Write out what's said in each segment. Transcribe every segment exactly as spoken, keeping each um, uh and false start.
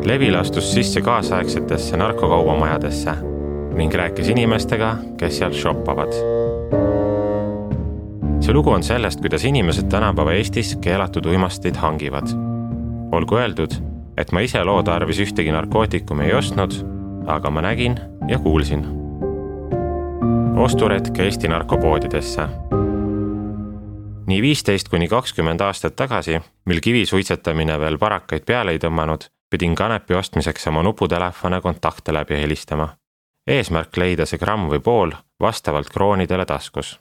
Levi lastus sisse kaasaegsetesse narkokaubamajadesse ning rääkis inimestega, kes seal shoppavad. See lugu on sellest, kuidas inimesed tänapäeva Eestis keelatud uimasteid hangivad. Olgu öeldud, et ma ise loo tarvis ühtegi narkootikumi ei ostnud, aga ma nägin ja kuulsin. Osturetk Eesti narkopoodidesse. Nii viisteist kuni kakskümmend aastat tagasi, mil kivisuitsetamine veel parakaid peale ei tõmmanud, pidin kanepi ostmiseks oma nuputelefone kontakte läbi helistama. Eesmärk leida see gramm või pool vastavalt kroonidele taskus.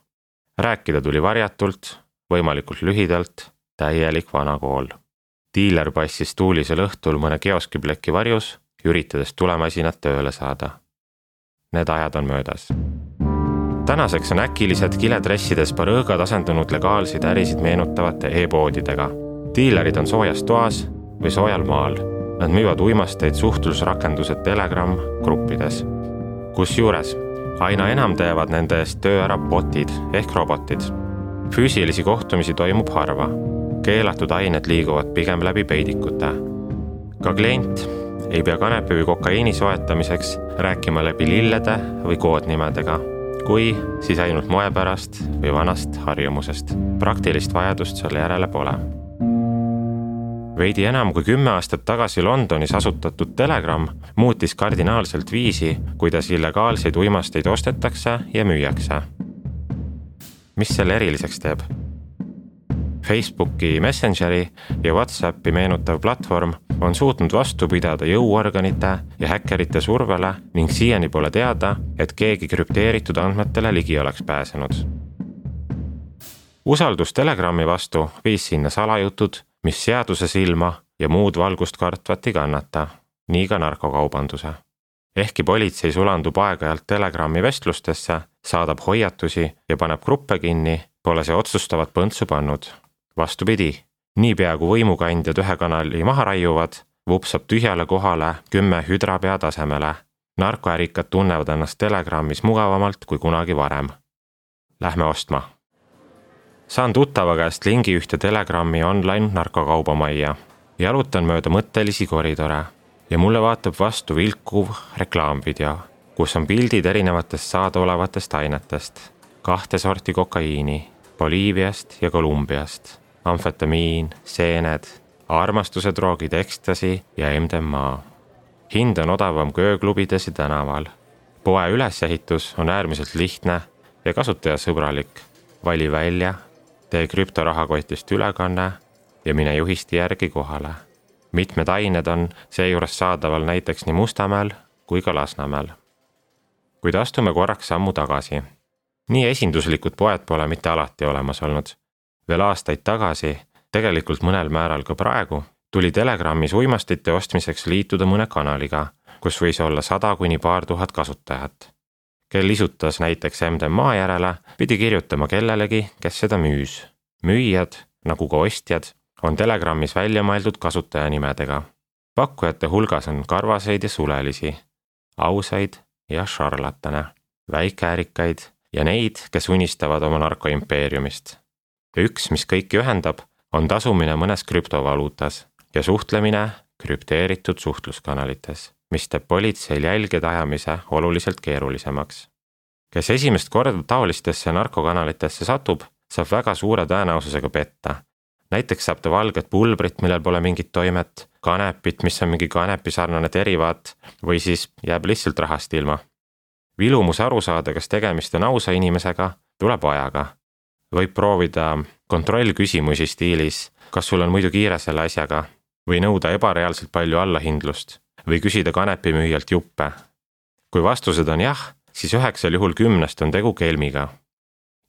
Rääkida tuli varjatult, võimalikult lühidalt, täielik vanakool. Diiler passis tuulisel õhtul mõne kioskipleki varjus, üritades tulemasinat tööle saada. Need ajad on möödas. Tänaseks on äkilised kiledressides parõõgad asendunud legaalseid ärisid meenutavate e-poodidega. Diilerid on soojas toas või soojal maal. Nad müüvad uimasteid suhtlusrakendused Telegram gruppides. Kus juures, aina enam teevad nende eest töö ära botid ehk robotid. Füüsilisi kohtumisi toimub harva. Keelatud ained liiguvad pigem läbi peidikute. Ka klient ei pea kanepi või kokaiini soetamiseks rääkima läbi lillede või koodnimedega, kui siis ainult moe pärast või vanast harjumusest. Praktilist vajadust selle järele pole. Veidi enam kui kümme aastat tagasi Londonis asutatud Telegram muutis kardinaalselt viisi, kuidas illegaalseid uimasteid ostetakse ja müüakse. Mis selle eriliseks teeb? Facebooki Messengeri ja WhatsAppi meenutav platvorm on suutnud vastu pidada jõuorganite ja häkkerite survele ning siiani pole teada, et keegi krüpteeritud andmetele ligi oleks pääsenud. Usaldus Telegrami vastu viis sinna salajutud, mis seaduse silma ja muud valgust kartvat ei kannata, nii ka narkokaubanduse. Ehkki politsei sulandub aeg-ajalt Telegrami vestlustesse, saadab hoiatusi ja paneb gruppe kinni, pole see otsustavat põntsu pannud. Vastupidi, nii peaaegu võimukandjad ühe kanali maha raiuvad, vupsab tühjale kohale kümme hüdrapea tasemele. Narkoärikad tunnevad ennast Telegramis mugavamalt kui kunagi varem. Lähme ostma. Saan tuttava käest lingi ühte Telegrami online narkokaubamajja. Jalutan mööda mõttelisi koridore ja mulle vaatab vastu vilkuv reklaamvideo, kus on pildid erinevatest saadaolevatest ainetest. Kahte sorti kokaiini, Boliiviast ja Kolumbiast. Amfetamiin, seened, armastuse droogid, ekstasi ja M D M A. Hind on odavam kui ööklubides ja tänaval. Poe ülesehitus on äärmiselt lihtne ja kasutajasõbralik. Vali välja, tee krüptorahakotist ülekanne ja mine juhisti järgi kohale. Mitmed ained on seejuures saadaval näiteks nii Mustamäel kui ka Lasnamäel. Kuid astume korraks sammu tagasi. Nii esinduslikud poed pole mitte alati olemas olnud. Veel aastaid tagasi, tegelikult mõnel määral ka praegu, tuli Telegramis uimastite ostmiseks liituda mõne kanaliga, kus võis olla sada kuni paar tuhat kasutajat. Kel isutas näiteks M D M A järele, pidi kirjutama kellelegi, kes seda müüs. Müüjad, nagu ka ostjad, on Telegramis välja mõeldud kasutajanimedega. Pakkujate hulgas on karvaseid ja sulelisi, ausaid ja šarlatane, väikeärikaid ja neid, kes unistavad oma narkoimpeeriumist. Üks, mis kõiki ühendab, on tasumine mõnes krüptovaluutas ja suhtlemine krüpteeritud suhtluskanalites, mis teeb politseil jälgede ajamise oluliselt keerulisemaks. Kes esimest korda taolistesse narkokanalitesse satub, saab väga suure tõenäosusega petta. Näiteks saab ta valget pulbrit, millel pole mingit toimet, kanepit, mis on mingi kanepisarnane derivaat, või siis jääb lihtsalt rahast ilma. Vilumus aru saada, kas tegemist on ausa inimesega, tuleb ajaga. Võib proovida kontrollküsimusi stiilis, kas sul on muidu kiire selle asjaga, või nõuda ebareaalselt palju allahindlust, või küsida kanepimüüjalt juppe. Kui vastused on jah, siis üheksal juhul kümnest on tegu kelmiga.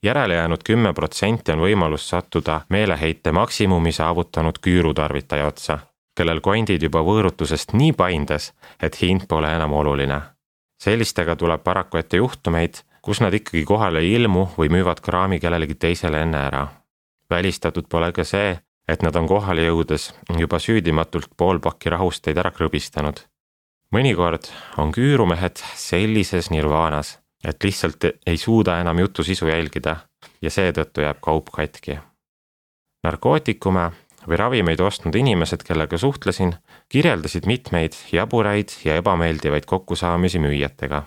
Järele jäänud kümme protsenti on võimalus sattuda meeleheite maksimumi saavutanud küürutarvitaja otsa, kellel kondid juba võõrutusest nii paindes, et hind pole enam oluline. Sellistega tuleb paraku ette juhtumeid, kus nad ikkagi kohale ei ilmu või müüvad kraami kellelegi teisele enne ära. Välistatud pole ka see, et nad on kohale jõudes juba süüdimatult pool pakki rahusteid ära krõbistanud. Mõnikord on küürumehed sellises nirvaanas, et lihtsalt ei suuda enam jutu sisu jälgida ja seetõttu jääb kaup katki. Narkootikume või ravimeid ostnud inimesed, kellega suhtlesin, kirjeldasid mitmeid jaburaid ja ebameeldivaid kokkusaamisi müüjatega.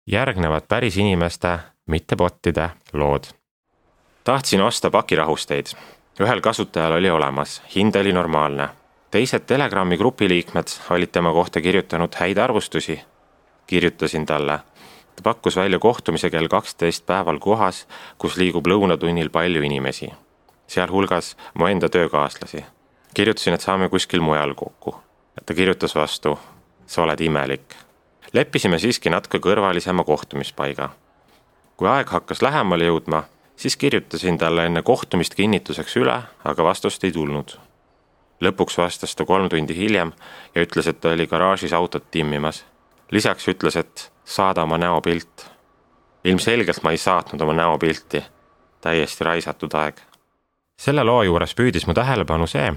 Järgnevad päris inimeste, mitte bottide lood. Tahtsin osta pakirahusteid. Ühel kasutajal oli olemas, hind oli normaalne. Teised Telegrami grupi liikmed olid tema kohta kirjutanud häid arvustusi. Kirjutasin talle. Ta pakkus välja kohtumise kell kaksteist päeval kohas, kus liigub lõunatunnil palju inimesi. Sealhulgas mu enda töökaaslasi. Kirjutasin, et saame kuskil mujal kokku. Ta kirjutas vastu, sa oled imelik. Leppisime siiski natuke kõrvalisema kohtumispaiga. Kui aeg hakkas lähemale jõudma, siis kirjutasin talle enne kohtumist kinnituseks üle, aga vastust ei tulnud. Lõpuks vastas ta kolm tundi hiljem ja ütles, et ta oli garaažis autot timmimas. Lisaks ütles, et saada oma näopilt. Ilmselgelt ma ei saatnud oma näopilti. Täiesti raisatud aeg. Selle loo juures püüdis mu tähelepanu see,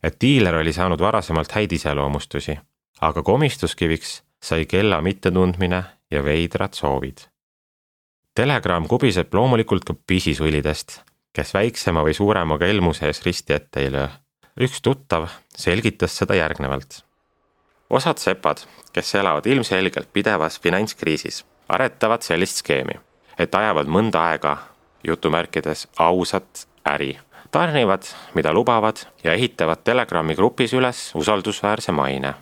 et diiler oli saanud varasemalt häid iseloomustusi, aga komistuskiviks sai kella mittetundmine ja veidrad soovid. Telegram kubiseb loomulikult ka pisisulidest, kes väiksema või suurema kelmu sees risti ette ei löö. Üks tuttav selgitas seda järgnevalt. Osad sepad, kes elavad ilmselgelt pidevas finantskriisis, aretavad sellist skeemi, et ajavad mõnda aega, jutumärkides ausat äri. Tarnivad, mida lubavad ja ehitavad Telegrami grupis üles usaldusväärse maine.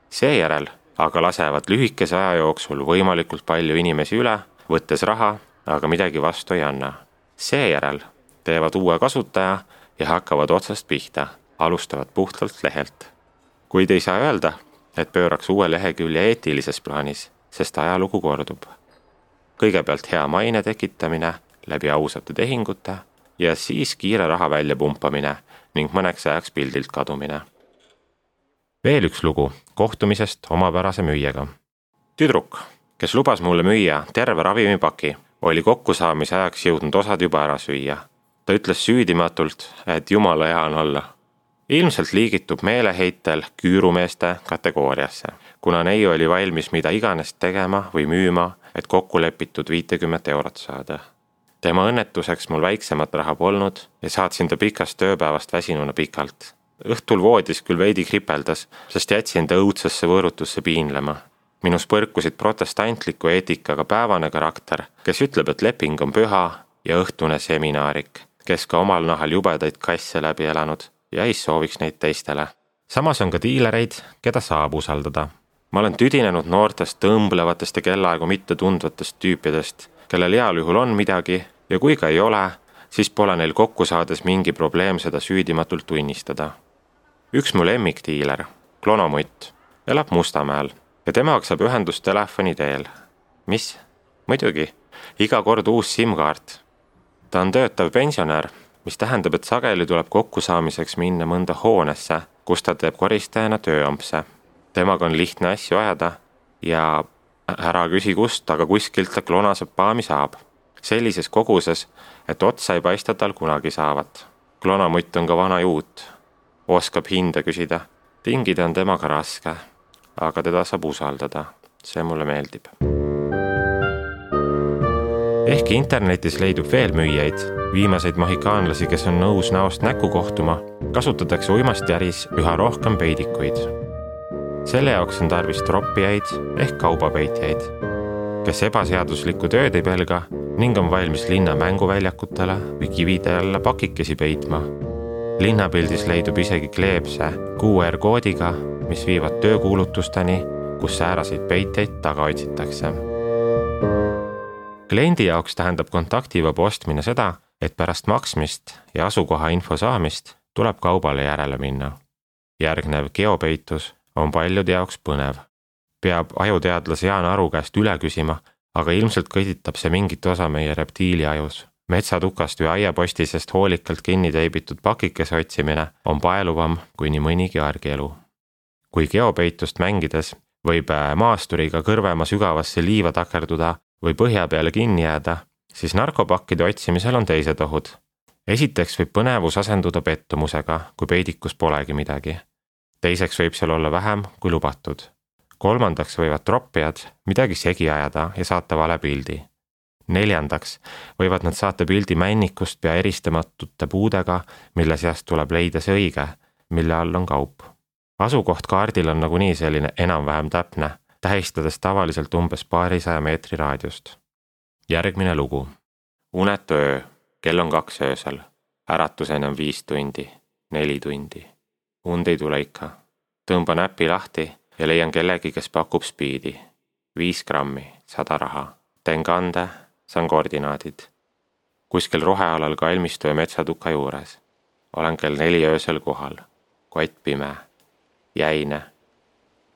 Seejärel aga lasevad lühikese aja jooksul võimalikult palju inimesi üle, võttes raha, aga midagi vastu ei anna. Seejärel teevad uue kasutaja ja hakkavad otsast pihta, alustavad puhtalt lehelt. Kuid ei saa öelda, et pööraks uue lehekülje eetilises plaanis, sest ajalugu kordub. Kõigepealt hea maine tekitamine läbi ausate tehingute ja siis kiire raha välja pumpamine ning mõneks ajaks pildilt kadumine. Veel üks lugu kohtumisest omapärase müüjaga. Tüdruk, kes lubas mulle müüa terve ravimipaki, oli kokkusaamise ajaks jõudnud osad juba ära süüa. Ta ütles süüdimatult, et jumala hea on olla. Ilmselt liigitub meeleheitel küürumeeste kategooriasse, kuna neiu oli valmis mida iganes tegema või müüma, et kokku lepitud viitekümmet eurot saada. Tema õnnetuseks mul väiksemat raha polnud ja saatsin ta pikast tööpäevast väsinuna pikalt. Õhtul voodis küll veidi kripeldas, sest jätsin ta õudsesse võõrutusse piinlema. Minus põrkusid protestantliku eetikaga päevane karakter, kes ütleb, et leping on püha ja õhtune seminaarik, kes ka omal nahal jubedaid kasse läbi elanud ja ei sooviks neid teistele. Samas on ka diilereid, keda saab usaldada. Ma olen tüdinenud noortest tõmblevatest ja kellaaegu mitte tundvatest tüüpidest, kellel heal juhul on midagi ja kui ka ei ole, siis pole neil kokku saades mingi probleem seda süüdimatult tunnistada. Üks mu lemmikdiiler, Klonomutt, elab Mustamäel ja temaga saab ühendust telefoni teel. Mis? Muidugi, iga kord uus SIM-kaart. Ta on töötav pensionär, mis tähendab, et sageli tuleb kokkusaamiseks minna mõnda hoonesse, kus ta teeb koristajana tööampse. Temaga on lihtne asju ajada ja ära küsi kust, aga kuskilt ta klonasepaami saab. Sellises koguses, et otsa ei paista tal kunagi saavat. Klonomutt on ka vana juut. Oskab hinda küsida. Tingida on temaga raske, aga teda saab usaldada. See mulle meeldib. Ehkki internetis leidub veel müüjaid, viimaseid mohikaanlasi, kes on nõus näost näkku kohtuma, kasutatakse uimasti äris üha rohkem peidikuid. Selle jaoks on tarvis troppijaid ehk kaubapeitjaid, kes ebaseaduslikku tööd ei pelga ning on valmis linna mänguväljakutele või kivide alla pakikesi peitma. Linnapildis leidub isegi kleepse Q R-koodiga, mis viivad töökuulutusteni, kus sääraseid peitjaid taga otsitakse. Kliendi jaoks tähendab kontaktivaba ostmine seda, et pärast maksmist ja asukoha info saamist tuleb kaubale järele minna. Järgnev geopeitus on paljude jaoks põnev. Peab ajuteadlase Jaan Aru käest üle küsima, aga ilmselt kõditab see mingit osa meie reptiili ajus. Metsatukast või aiapostisest hoolikalt kinni teibitud pakikese otsimine on paeluvam kui nii mõnigi argielu. Kui geopeitust mängides võib maasturiga kõrvema sügavasse liiva takerduda või põhja peale kinni jääda, siis narkopakkide otsimisel on teised ohud. Esiteks võib põnevus asenduda pettumusega, kui peidikus polegi midagi. Teiseks võib seal olla vähem kui lubatud. Kolmandaks võivad troppijad midagi segi ajada ja saata vale pildi. Neljandaks võivad nad saata pildi männikust pea eristamatute puudega, mille seast tuleb leida see õige, mille all on kaup. Asukoht kaardil on nagunii selline enam-vähem täpne, tähistades tavaliselt umbes paarisaja meetri raadiust. Järgmine lugu. Unetu öö, kell on kaks öösel, äratuseni on viis tundi, neli tundi. Und ei tule ikka. Tõmban äppi lahti ja leian kellegi, kes pakub spiidi. Viis grammi, sada raha. Teen kande, saan koordinaadid. Kuskil rohealal kalmistu ja metsatuka juures. Olen kell neli öösel kohal. Kott pime. Jäine.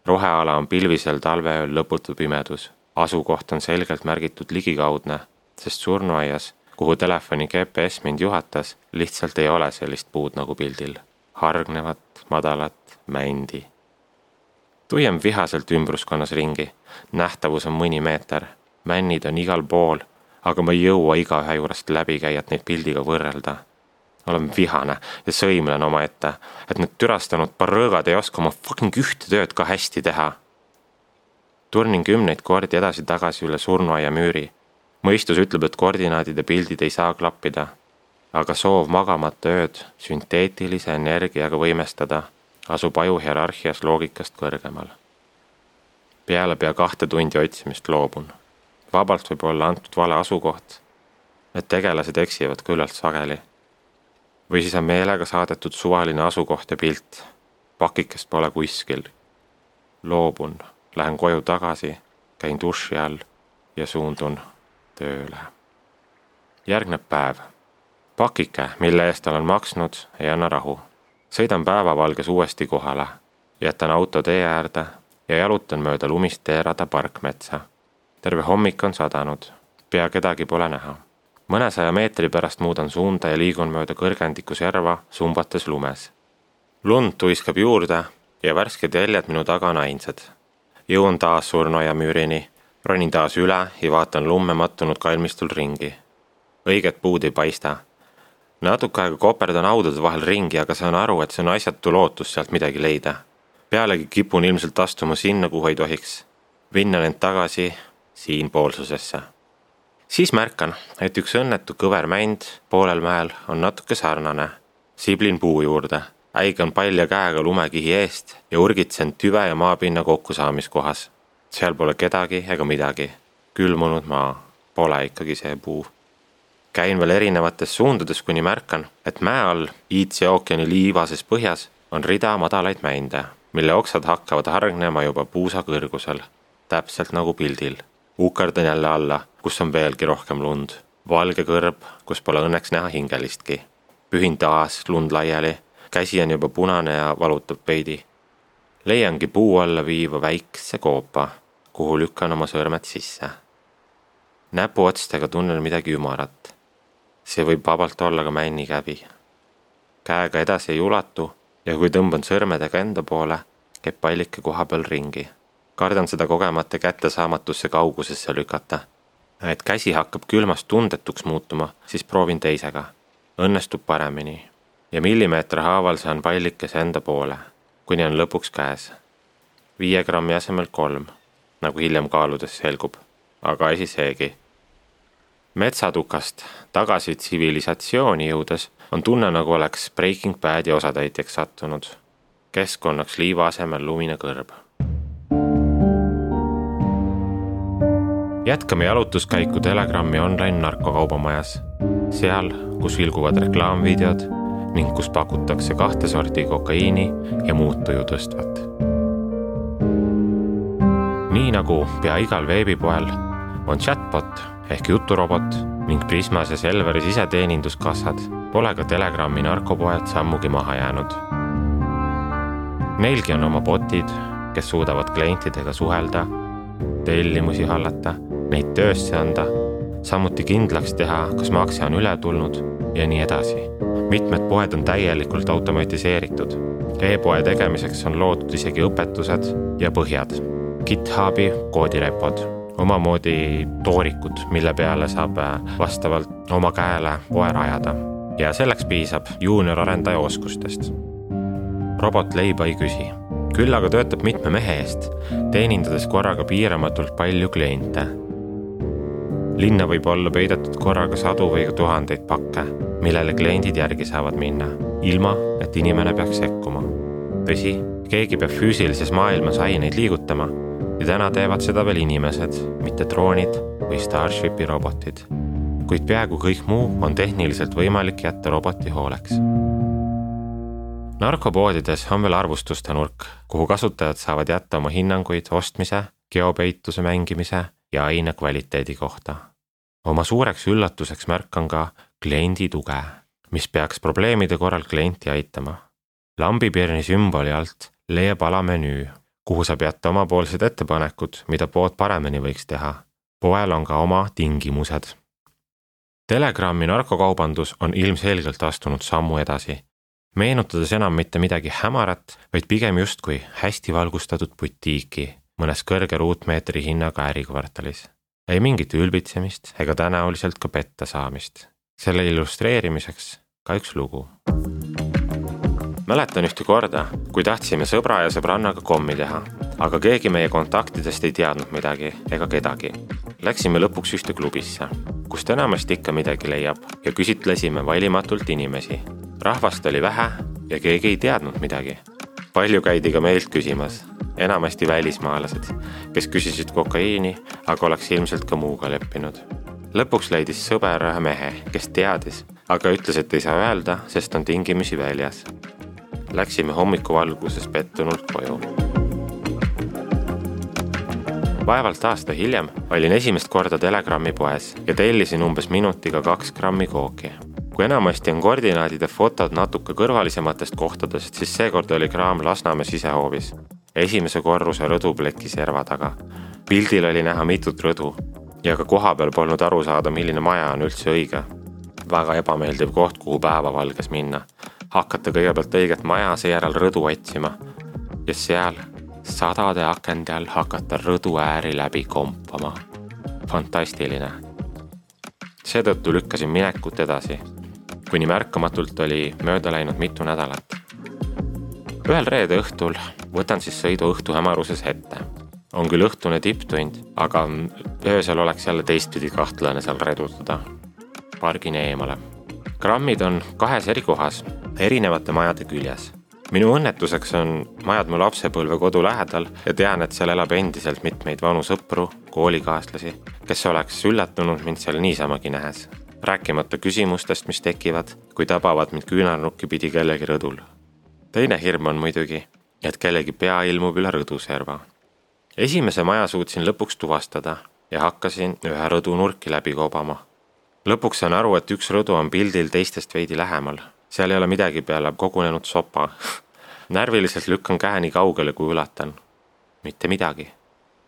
Roheala on pilvisel talveööl lõputu pimedus. Asukoht on selgelt märgitud ligikaudne, sest surnuaias, kuhu telefoni G P S mind juhatas, lihtsalt ei ole sellist puud nagu pildil. Hargnevat, madalat, mändi. Tuiem vihaselt ümbruskonnas ringi. Nähtavus on mõni meeter. Männid on igal pool, aga ma ei jõua igaühe juurest läbi käia, et neid pildiga võrrelda. Olen vihane ja sõimlen oma ette, et need türastanud parrõõgad ei oska oma fucking ühte tööd ka hästi teha. Turnin kümneid kordi edasi-tagasi üle surnuaia müüri. Mõistus ütleb, et koordinaadid ja pildid ei saa klappida, aga soov magamata ööd sünteetilise energiaga võimestada asub aju hierarhias loogikast kõrgemal. Peale pea kahte tundi otsimist loobun. Vabalt võib olla antud vale asukoht, et tegelased eksivad küllalt sageli. Või siis on meelega saadetud suvaline asukoht ja pilt. Pakikest pole kuskil. Loobun, lähen koju tagasi, käin duši all ja suundun tööle. Järgneb päev. Pakike, mille eest olen maksnud, ei anna rahu. Sõidan päevavalges uuesti kohale, jätan auto tee äärde ja jalutan mööda lumist teerada parkmetsa. Terve hommik on sadanud, pea kedagi pole näha. Mõne saja meetri pärast muudan suunda ja liigun mööda kõrgendiku serva sumbates lumes. Lund tuiskab juurde ja värsked jäljed minu taga on ainsad. Jõuan taas surnuaia müürini, ronin taas üle ja vaatan lumme mattunud kalmistul ringi. Õiget puud ei paista. Natuke aega koperdan audade vahel ringi, aga saan aru, et see on asjatu lootus sealt midagi leida. Pealegi kipun ilmselt astuma sinna, kuhu ei tohiks. Vinnan end tagasi siinpoolsusesse. Siis märkan, et üks õnnetu kõver mänd poolel mäel on natuke sarnane. Siblin puu juurde, äigan palja käega lumekihi eest ja urgitsen tüve ja maapinna kokkusaamiskohas. Seal pole kedagi ega midagi. Külmunud maa, pole ikkagi see puu. Käin veel erinevates suundades, kuni märkan, et mäe all Iidse ookeani liivases põhjas on rida madalaid mände, mille oksad hakkavad hargnema juba puusa kõrgusel, täpselt nagu pildil. Ukardan jälle alla, kus on veelgi rohkem lund. Valge kõrb, kus pole õnneks näha hingelistki. Pühin taas lund laiali, käsi on juba punane ja valutab veidi. Leiangi puu alla viiva väikse koopa, kuhu lükkan oma sõrmed sisse. Näpu otstega tunnen midagi ümarat. See võib vabalt olla ka männi käbi. Käega edasi ei ulatu ja kui tõmban sõrmedega enda poole, käib pallike koha peal ringi. Kardan seda kogemata kättesaamatusse kaugusesse lükata. Et käsi hakkab külmast tundetuks muutuma, siis proovin teisega. Õnnestub paremini. Ja millimeeter haaval saan pallikese enda poole, kuni on lõpuks käes. Viie grammi asemel kolm, nagu hiljem kaaludes selgub, aga esi seegi. Metsatukast tagasi tsivilisatsiooni jõudes on tunne, nagu oleks Breaking Badi osatäitjaks sattunud. Keskkonnaks liiva asemel lumine kõrb. Jätkame jalutuskäiku Telegrammi online narkokaubamajas. Seal, kus vilguvad reklaamvideod ning kus pakutakse kahte sorti kokaiini ja muud tuju tõstvat. Nii nagu pea igal veebipoel on chatbot ehk juturobot ning Prismas ja Selveris iseteeninduskassad, pole ka Telegrammi narkopoed sammugi maha jäänud. Neilgi on oma botid, kes suudavad klientidega suhelda, tellimusi hallata, neid töösse anda, samuti kindlaks teha, kas makse on üle tulnud ja nii edasi. Mitmed poed on täielikult automatiseeritud. E-poe tegemiseks on loodud isegi õpetused ja põhjad. GitHubi koodirepod, omamoodi toorikud, mille peale saab vastavalt oma käele poe rajada. Ja selleks piisab juunior arendaja oskustest. Robot leiba ei küsi. Küll aga töötab mitme mehe eest, teenindades korraga piiramatult palju kliente. linna võib olla peidetud korraga sadu või tuhandeid pakke, millele kliendid järgi saavad minna, ilma et inimene peaks sekkuma. Tõsi, keegi peab füüsilises maailmas aineid liigutama ja täna teevad seda veel inimesed, mitte droonid või Starshipi robotid. Kuid peaaegu kõik muu on tehniliselt võimalik jätta roboti hooleks. Narkopoodides on veel arvustuste nurk, kuhu kasutajad saavad jätta oma hinnanguid ostmise, geopeituse mängimise ja aine kvaliteedi kohta. Oma suureks üllatuseks märkan ka kliendi tuge, mis peaks probleemide korral klienti aitama. Lambipirni sümboli alt leiab alamenüü, kuhu saab jätta omapoolsed ettepanekud, mida pood paremini võiks teha. Poel on ka oma tingimused. Telegrammi narkokaubandus on ilmselgelt astunud sammu edasi, meenutades enam mitte midagi hämarat, vaid pigem justkui hästi valgustatud butiiki mõnes kõrge ruutmeetri hinnaga ärikvartalis. Ei mingit ülbitsemist ega tõenäoliselt ka petta saamist. Selle illustreerimiseks ka üks lugu. Mäletan ühte korda, kui tahtsime sõbra ja sõbrannaga kommi teha, aga keegi meie kontaktidest ei teadnud midagi ega kedagi. Läksime lõpuks ühte klubisse, kust enamasti ikka midagi leiab ja küsitlesime valimatult inimesi. Rahvast oli vähe ja keegi ei teadnud midagi. Palju käidi ka meilt küsimas, enamasti välismaalased, kes küsisid kokaiini, aga oleks ilmselt ka muuga leppinud. Lõpuks leidis sõber ühe mehe, kes teadis, aga ütles, et ei saa öelda, sest on tingimusi väljas. Läksime hommikuvalguses pettunult koju. Vaevalt aasta hiljem olin esimest korda Telegrammi poes ja tellisin umbes minutiga kaks grammi kooki. Kui enamasti on koordinaadid ja fotod natuke kõrvalisematest kohtadest, siis seekord oli kraam Lasnamäe sisehoovis. Esimese korruse rõdupleki serva taga. Pildil oli näha mitut rõdu ja ka koha peal polnud aru saada, milline maja on üldse õige. Väga ebameeldiv koht, kuhu päevavalges minna. Hakata kõigepealt õiget maja, seejärel rõdu otsima ja seal sadade akende all hakata rõdu ääri läbi kompama. Fantastiline. Seetõttu lükkasin minekut edasi, kuni märkamatult oli mööda läinud mitu nädalat. Ühel reede õhtul võtan siis sõidu õhtu hämaruses ette. On küll õhtune tipptund, aga öösel oleks jälle teistpidi kahtlane seal redutada. Pargin eemale. Grammid on kahes eri kohas, erinevate majade küljes. Minu õnnetuseks on majad mu lapsepõlve kodu lähedal ja tean, et seal elab endiselt mitmeid vanu sõpru, koolikaaslasi, kes oleks üllatunud mind seal niisamagi nähes. Rääkimata küsimustest, mis tekivad, kui tabavad mind küünarnukki pidi kellegi rõdul. Teine hirm on muidugi, et kellegi pea ilmub üle rõduserva. Esimese maja suutsin lõpuks tuvastada ja hakkasin ühe rõdu nurki läbi kobama. Lõpuks saan aru, et üks rõdu on pildil teistest veidi lähemal. Seal ei ole midagi peale kogunenud sopa. Närviliselt lükkan käe nii kaugele, kui ulatan. Mitte midagi.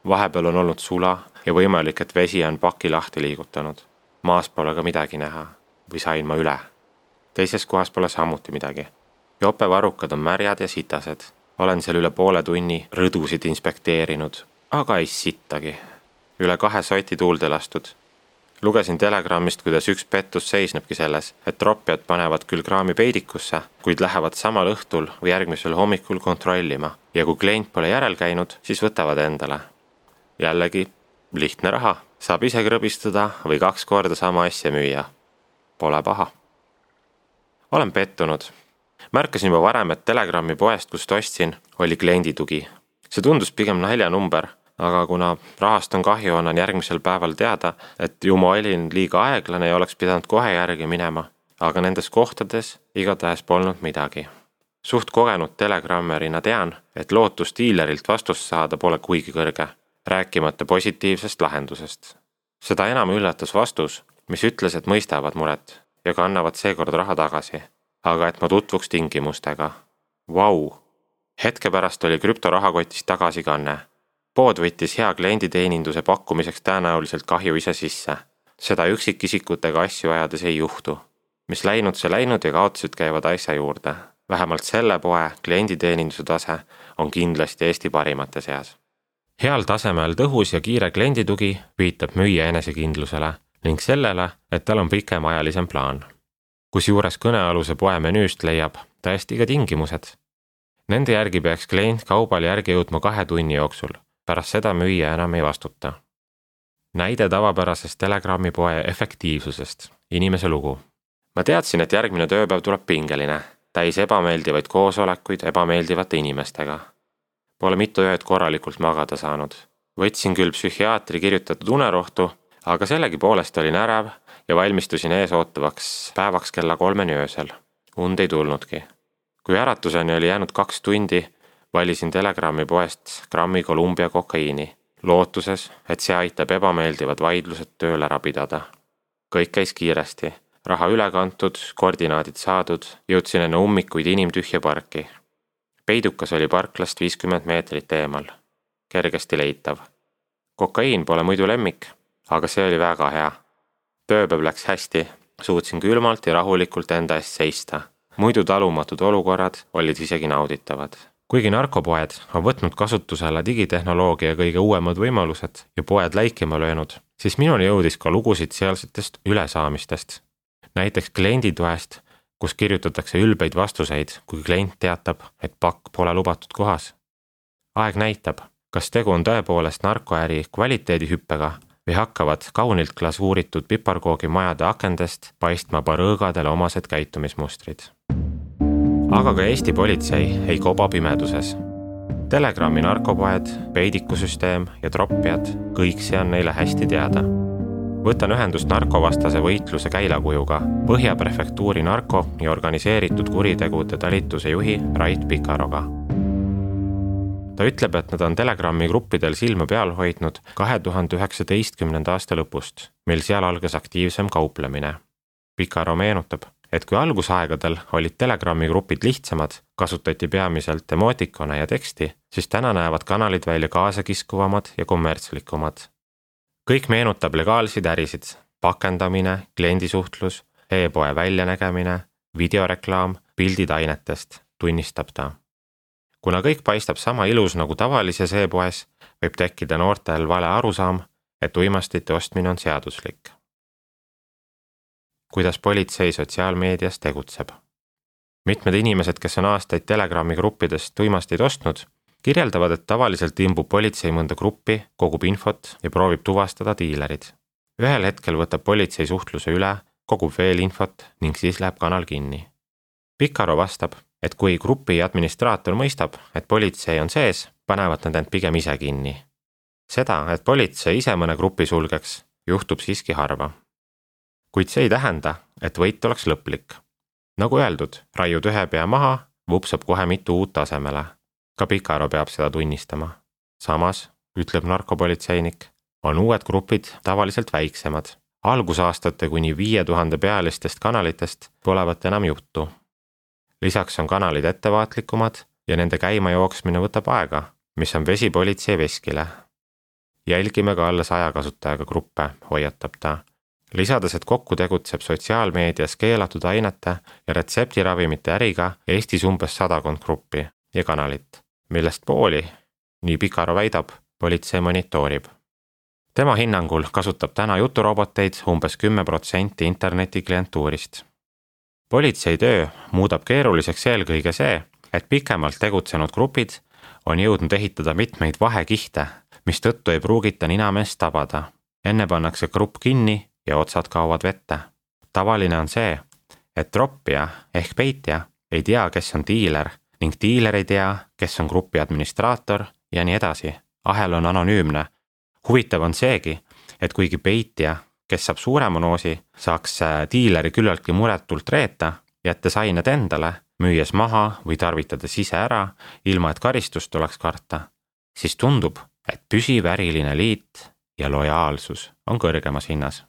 Vahepeal on olnud sula ja võimalik, et vesi on paki lahti liigutanud. Maas pole ka midagi näha. Või sain ma üle. Teises kohas pole samuti midagi. Jopevarrukad on märjad ja sitased. Olen seal üle poole tunni rõdusid inspekteerinud, aga ei sittagi. Üle kahe soti tuulde lastud. Lugesin Telegrammist, kuidas üks pettus seisnebki selles, et tropjad panevad küll kraami peidikusse, kuid lähevad samal õhtul või järgmisel hommikul kontrollima ja kui klient pole järel käinud, siis võtavad endale. Jällegi, lihtne raha, saab ise krõbistada või kaks korda sama asja müüa. Pole paha. Olen pettunud. Märkasin juba varem, et Telegrammi poest, kust ostsin, oli kliendi tugi. See tundus pigem naljanumber, aga kuna rahast on kahju, on järgmisel päeval teada, et ju ma olin liiga aeglane ja oleks pidanud kohe järgi minema, aga nendes kohtades igatahes polnud midagi. Suht kogenud telegrammerina tean, et lootus diilerilt vastust saada pole kuigi kõrge, rääkimata positiivsest lahendusest. Seda enam üllatas vastus, mis ütles, et mõistavad muret ja kannavad seekord raha tagasi, aga et ma tutvuks tingimustega. Vau! Hetke pärast oli krüptorahakotist tagasi kanne. Pood võttis hea klienditeeninduse pakkumiseks tõenäoliselt kahju ise sisse. Seda üksikisikutega asju ajades ei juhtu. Mis läinud, see läinud ja kaotused käivad asja juurde. Vähemalt selle poe klienditeeninduse tase on kindlasti Eesti parimate seas. Heal tasemel tõhus ja kiire klienditugi viitab müüja enesekindlusele ning sellele, et tal on pikemaajalisem plaan. Kusjuures kõnealuse poe menüüst leiab tõesti ka tingimused. Nende järgi peaks klient kaubal järgi jõudma kahe tunni jooksul. Pärast seda müüja enam ei vastuta. näide tavapärasest Telegrammi poe efektiivsusest. Inimese lugu. Ma teadsin, et järgmine tööpäev tuleb pingeline, täis ebameeldivaid koosolekuid ebameeldivate inimestega. Pole mitu ööd korralikult magada saanud. Võtsin küll psühhiaatri kirjutatud unerohtu, aga sellegipoolest olin ärev ja valmistusin ees ootavaks päevaks kella kolmeni öösel. Und ei tulnudki. Kui äratuseni oli jäänud kaks tundi, valisin Telegrammi poest grammi Columbia kokaiini, lootuses, et see aitab ebameeldivad vaidlused tööl ära pidada. Kõik käis kiiresti, raha üle kantud, koordinaadid saadud, jõudsin enne ummikuid inimtühja parki. Peidukas oli parklast viiskümmend meetrit eemal, kergesti leitav. Kokaiin pole muidu lemmik, aga see oli väga hea. Tööpäev läks hästi, suutsin külmalt ja rahulikult enda eest seista. Muidu talumatud olukorrad olid isegi nauditavad. Kuigi narkopoed on võtnud kasutusele digitehnoloogia kõige uuemad võimalused ja poed läikima löönud, siis minuni jõudis ka lugusid sealsetest ülesaamistest. Näiteks klienditoest, kus kirjutatakse ülbeid vastuseid, kui klient teatab, et pakk pole lubatud kohas. Aeg näitab, kas tegu on tõepoolest narkoäri kvaliteedihüppega või hakkavad kaunilt glasuuritud piparkoogi majade akendest paistma barõõgadele omased käitumismustrid. Aga ka Eesti politsei ei koba pimeduses. Telegrammi narkopoed, peidikusüsteem ja troppijad, kõik see on neile hästi teada. Võtan ühendust narkovastase võitluse käilakujuga, Põhja prefektuuri narko- ja organiseeritud kuritegude talituse juhi Rait Pikaroga. Ta ütleb, et nad on Telegrammi gruppidel silma peal hoidnud kahe tuhande üheksateistkümnenda aasta lõpust, mil seal algas aktiivsem kauplemine. Pikaro meenutab, et kui algusaegadel olid Telegrammi grupid lihtsamad, kasutati peamiselt emootikone ja teksti, siis täna näevad kanalid välja kaasakiskuvamad ja kommertslikumad. Kõik meenutab legaalsid ärisid, pakendamine, kliendisuhtlus, e-poe väljanägemine, videoreklaam, pildid ainetest, tunnistab ta. Kuna kõik paistab sama ilus nagu tavalises e-poes, võib tekkida noortel vale arusaam, et uimastite ostmine on seaduslik. Kuidas politsei sotsiaalmeedias tegutseb. Mitmed inimesed, kes on aastaid Telegrammi gruppidest uimasteid ostnud, kirjeldavad, et tavaliselt imbub politsei mõnda gruppi, kogub infot ja proovib tuvastada diilerid. Ühel hetkel võtab politsei suhtluse üle, kogub veel infot ning siis läheb kanal kinni. Pikaro vastab, et kui grupi administraator mõistab, et politsei on sees, panevad nad end pigem ise kinni. Seda, et politsei ise mõne grupi sulgeks, juhtub siiski harva. Kuid see ei tähenda, et võit oleks lõplik. Nagu öeldud, raiud ühe pea maha, vupsab kohe mitu uut asemele. Ka Pikaro peab seda tunnistama. Samas, ütleb narkopolitseinik, on uued grupid tavaliselt väiksemad. Algusaastate kuni viie tuhande pealistest kanalitest polevat enam juttu. Lisaks on kanalid ettevaatlikumad ja nende käima jooksmine võtab aega, mis on vesi politsei veskile. Jälgime ka alla saja kasutajaga gruppe, hoiatab ta. Lisades, et kokku tegutseb sotsiaalmeedias keelatud ainete ja retseptiravimite äriga Eestis umbes sadakond gruppi ja kanalit, millest pooli, nii Pikaro väidab, politsei monitoorib. Tema hinnangul kasutab täna juturoboteid umbes kümme protsenti interneti klientuurist. Politsei töö muudab keeruliseks eelkõige see, et pikemalt tegutsenud grupid on jõudnud ehitada mitmeid vahekihte, mis tõttu ei pruugita ninameest tabada. Enne pannakse grupp kinni ja otsad kaovad vette. Tavaline on see, et troppija ehk peitja ei tea, kes on diiler ning diiler ei tea, kes on grupi administraator ja nii edasi. Ahel on anonüümne. Huvitav on seegi, et kuigi peitja, kes saab suurema noosi, saaks diileri küllaltki muretult reeta, jättes ained endale, müües maha või tarvitades ise ära, ilma et karistust oleks karta, siis tundub, et püsiv äriline liit ja lojaalsus on kõrgemas hinnas.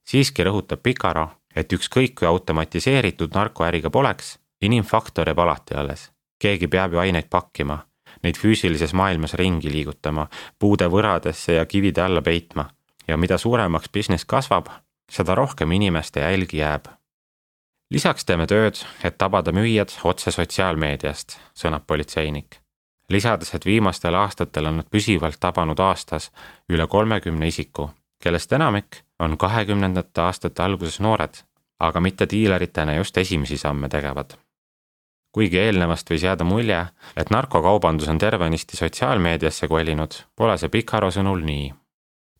Siiski rõhutab Pikaro, et ükskõik kui automatiseeritud narkoäriga poleks, inimfaktor jääb alati alles. Keegi peab ju aineid pakkima, neid füüsilises maailmas ringi liigutama, puude võradesse ja kivide alla peitma. Ja mida suuremaks business kasvab, seda rohkem inimeste jälgi jääb. Lisaks teeme tööd, et tabada müüjad otse sotsiaalmeediast, sõnab politseinik. Lisades, et viimastel aastatel on nad püsivalt tabanud aastas üle kolmekümne isiku, kellest enamik on kahekümnendate aastate alguses noored, aga mitte diileritena just esimesi samme tegevad. Kuigi eelnevast võis jääda mulje, et narkokaubandus on tervenisti sotsiaalmeediasse kolinud, pole see Pikaro sõnul nii.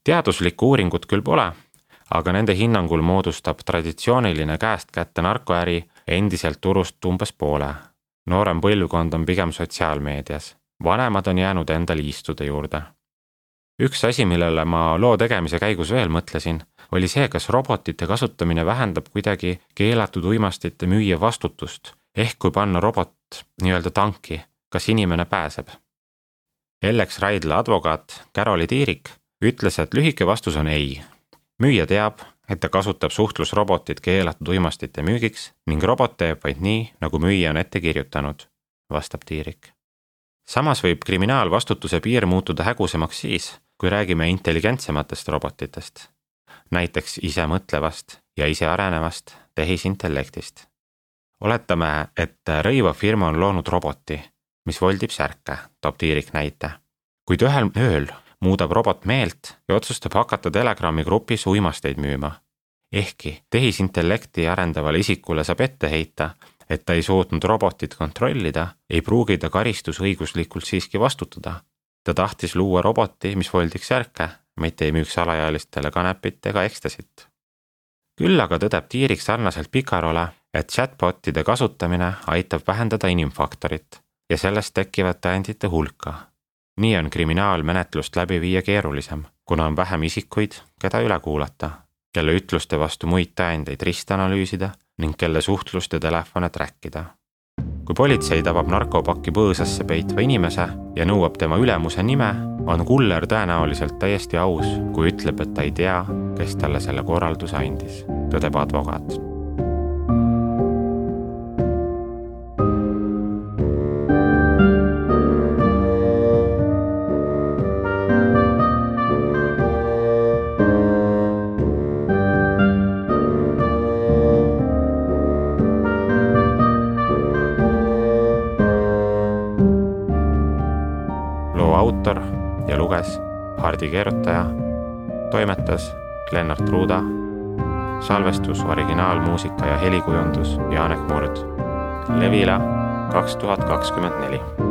teaduslikku uuringut küll pole, aga nende hinnangul moodustab traditsiooniline käest kätte narkoäri endiselt turust umbes poole. Noorem põlvkond on pigem sotsiaalmeedias. Vanemad on jäänud enda liistude juurde. Üks asi, millele ma loo tegemise käigus veel mõtlesin, oli see, kas robotite kasutamine vähendab kuidagi keelatud uimastite müüja vastutust, ehk kui panna robot nii-öelda tanki, kas inimene pääseb. Ellex Raidla advokaat Caroli Tiirik ütles, et lühike vastus on ei. Müüja teab, et ta kasutab suhtlusrobotit keelatud uimastite müügiks ning robot teeb vaid nii, nagu müüja on ette kirjutanud, vastab Tiirik. Samas võib kriminaalvastutuse piir muutuda hägusemaks siis, kui räägime intelligentsematest robotitest, näiteks ise mõtlevast ja ise arenevast tehisintellektist. Oletame, et rõiva firma on loonud roboti, mis voldib särke, toob Tiirik näite. Kuid ühel ööl muudab robot meelt ja otsustab hakata Telegrami grupis uimasteid müüma. Ehkki tehisintellekti arendavale isikule saab ette heita, et ta ei suutnud robotit kontrollida, ei pruugi ta karistusõiguslikult siiski vastutada. Ta tahtis luua roboti, mis voldiks särke, mitte ei müüks alaealistele kanepit ega ekstasit. Küll aga tõdeb Tiirik sarnaselt Picarole, et chatbotide kasutamine aitab vähendada inimfaktorit ja sellest tekivad tõendite hulka. Nii on kriminaalmenetlust läbi viia keerulisem, kuna on vähem isikuid, keda üle kuulata, kelle ütluste vastu muid tõendeid ristanalüüsida ning kelle suhtlust ja telefone trackida. Kui politsei tabab narkopakki põõsasse peitva inimese ja nõuab tema ülemuse nime, on kuller tõenäoliselt täiesti aus, kui ütleb, et ta ei tea, kes talle selle korralduse andis, tõdeb advokaat. Autor ja luges Hardi Keerutaja, toimetas Lennart Ruuda, salvestus, originaalmuusika ja helikujundus Janek Murd. Levila kaks tuhat kakskümmend neli.